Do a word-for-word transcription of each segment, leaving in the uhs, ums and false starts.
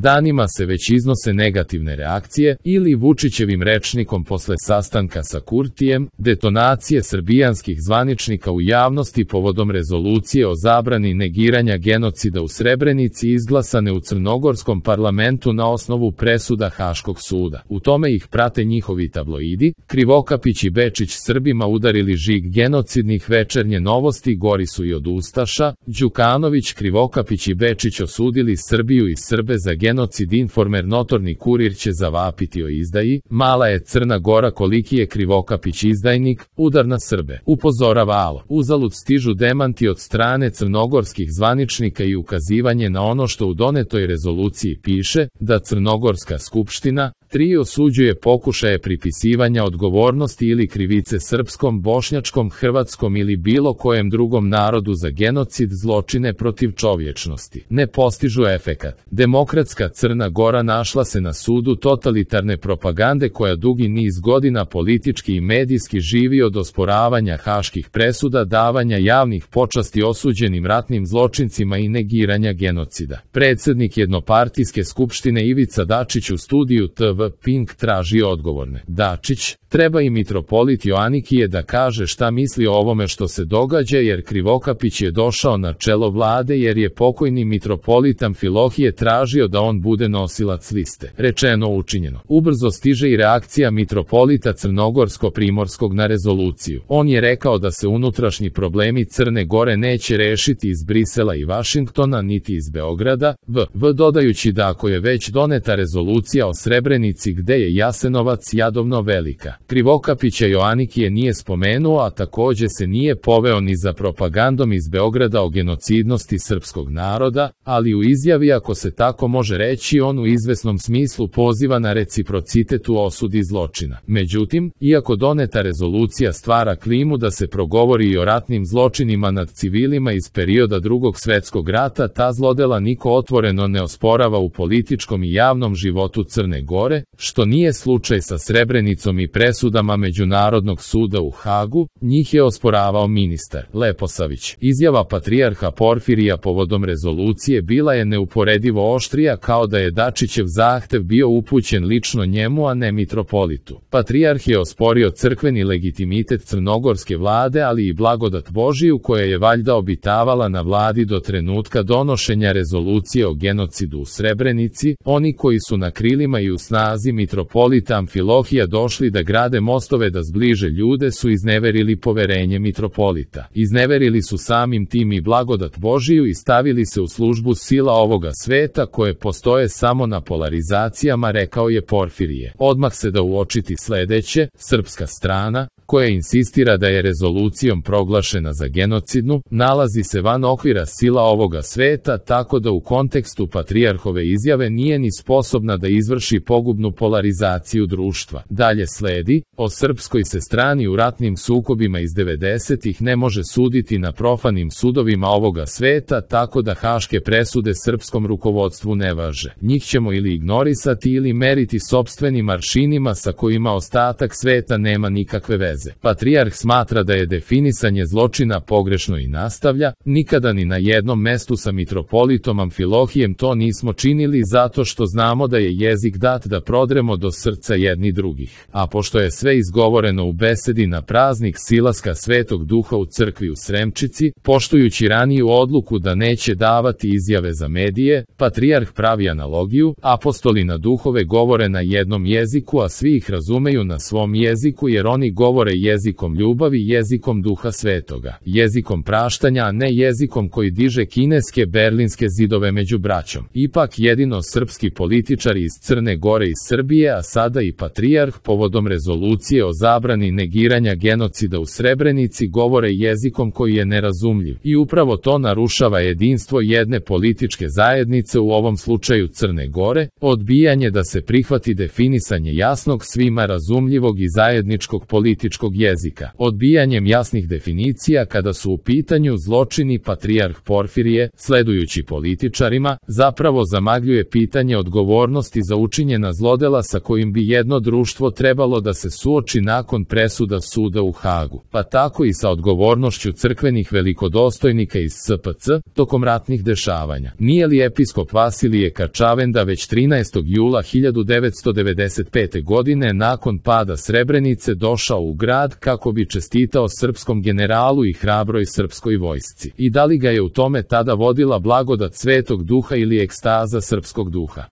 Danima se već iznose negativne reakcije, ili Vučićevim rečnikom posle sastanka sa Kurtijem, detonacije srbijanskih zvaničnika u javnosti povodom rezolucije o zabrani negiranja genocida u Srebrenici izglasane u crnogorskom parlamentu na osnovu presuda Haškog suda. U tome ih prate njihovi tabloidi. Krivokapić i Bečić Srbima udarili žig genocidnih, Večernje novosti gori su i od ustaša. Đukanović, Krivokapić i Bečić osudili Srbiju i Srbe za genocid. Informer, notorni kurir će zavapiti o izdaji. Mala je Crna Gora, koliki je Krivokapić izdajnik, udar na Srbe. Upozorava Alo. Uzalud stižu demanti od strane crnogorskih zvaničnika i ukazivanje na ono što u donetoj rezoluciji piše, da Crnogorska skupština tri osuđuje pokušaje pripisivanja odgovornosti ili krivice srpskom, bošnjačkom, hrvatskom ili bilo kojem drugom narodu za genocid, zločine protiv čovječnosti. Ne postižu efekat. Demokratska Crna Gora našla se na sudu totalitarne propagande koja dugi niz godina politički i medijski živi od osporavanja haških presuda, davanja javnih počasti osuđenim ratnim zločincima i negiranja genocida. Predsednik jednopartijske skupštine Ivica Dačić u studiju T V Pink traži odgovorne. Dačić, treba i mitropolit Joanikije da kaže šta misli o ovome što se događa, jer Krivokapić je došao na čelo vlade jer je pokojni mitropolit Amfilohije tražio da on bude nosilac liste. Rečeno, učinjeno. Ubrzo stiže i reakcija mitropolita Crnogorsko-Primorskog na rezoluciju. On je rekao da se unutrašnji problemi Crne Gore neće rešiti iz Brisela i Vašingtona niti iz Beograda, v. v. dodajući da ako je već doneta rezolucija o Srebrenici gde je Jasenovac jadovno velika. Krivokapića Joanikije nije spomenuo, a takođe se nije poveo ni za propagandom iz Beograda o genocidnosti srpskog naroda, ali u izjavi, ako se tako može reći, on u izvesnom smislu poziva na reciprocitet u osudi zločina. Međutim, iako doneta rezolucija stvara klimu da se progovori i o ratnim zločinima nad civilima iz perioda Drugog svetskog rata, ta zlodela niko otvoreno ne osporava u političkom i javnom životu Crne Gore, što nije slučaj sa Srebrenicom i presudama Međunarodnog suda u Hagu, njih je osporavao ministar Leposavić. Izjava patrijarha Porfirija povodom rezolucije bila je neuporedivo oštrija, kao da je Dačićev zahtev bio upućen lično njemu, a ne mitropolitu. Patrijarh je osporio crkveni legitimitet crnogorske vlade, ali i blagodat Božiju koja je valjda obitavala na vladi do trenutka donošenja rezolucije o genocidu u Srebrenici. Oni koji su na krilima i u snazi mitropolita Amfilohija došli da grade mostove da zbliže ljude su izneverili poverenje mitropolita. Izneverili su samim tim i blagodat Božiju i stavili se u službu sila ovoga sveta koje postoje samo na polarizacijama, rekao je Porfirije. Odmah se da uočiti sledeće, srpska strana, koja insistira da je rezolucijom proglašena za genocidnu, nalazi se van okvira sila ovoga sveta, tako da u kontekstu patrijarhove izjave nije ni sposobna da izvrši pogubnu polarizaciju društva. Dalje sledi, o srpskoj se strani u ratnim sukobima iz devedesetih ne može suditi na profanim sudovima ovoga sveta, tako da haške presude srpskom rukovodstvu ne važe. Njih ćemo ili ignorisati ili meriti sopstvenim aršinima sa kojima ostatak sveta nema nikakve veze. Patrijarh smatra da je definisanje zločina pogrešno i nastavlja, nikada ni na jednom mestu sa mitropolitom Amfilohijem to nismo činili zato što znamo da je jezik dat da prodremo do srca jedni drugih. A pošto je sve izgovoreno u besedi na praznik silaska Svetog Duha u crkvi u Sremčici, poštujući raniju odluku da neće davati izjave za medije, patrijarh pravi analogiju, apostoli na duhove govore na jednom jeziku, a svi ih razumeju na svom jeziku jer oni govore jezikom ljubavi, jezikom Duha Svetoga, jezikom praštanja, a ne jezikom koji diže kineske berlinske zidove među braćom. Ipak jedino srpski političari iz Crne Gore i Srbije, a sada i patrijarh, povodom rezolucije o zabrani negiranja genocida u Srebrenici govore jezikom koji je nerazumljiv. I upravo to narušava jedinstvo jedne političke zajednice, u ovom slučaju Crne Gore, odbijanje da se prihvati definisanje jasnog, svima razumljivog i zajedničkog političkog političkog jezika, odbijanjem jasnih definicija kada su u pitanju zločini. Patrijarh Porfirije, sledujući političarima, zapravo zamagljuje pitanje odgovornosti za učinjena zlodela sa kojim bi jedno društvo trebalo da se suoči nakon presuda suda u Hagu, pa tako i sa odgovornošću crkvenih velikodostojnika iz S P C tokom ratnih dešavanja. Nije li episkop Vasilije Kačavenda već trinaestog jula hiljadu devetsto devedeset pete. godine nakon pada Srebrenice došao u grad kako bi čestitao srpskom generalu i hrabroj srpskoj vojsci? I da li ga je u tome tada vodila blagodat Svetog Duha ili ekstaza srpskog duha?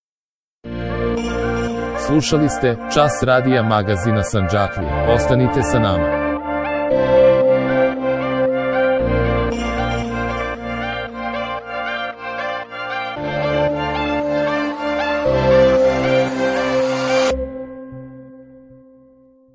Slušali ste Čas radija magazina Sandžaklije. Ostanite sa nama.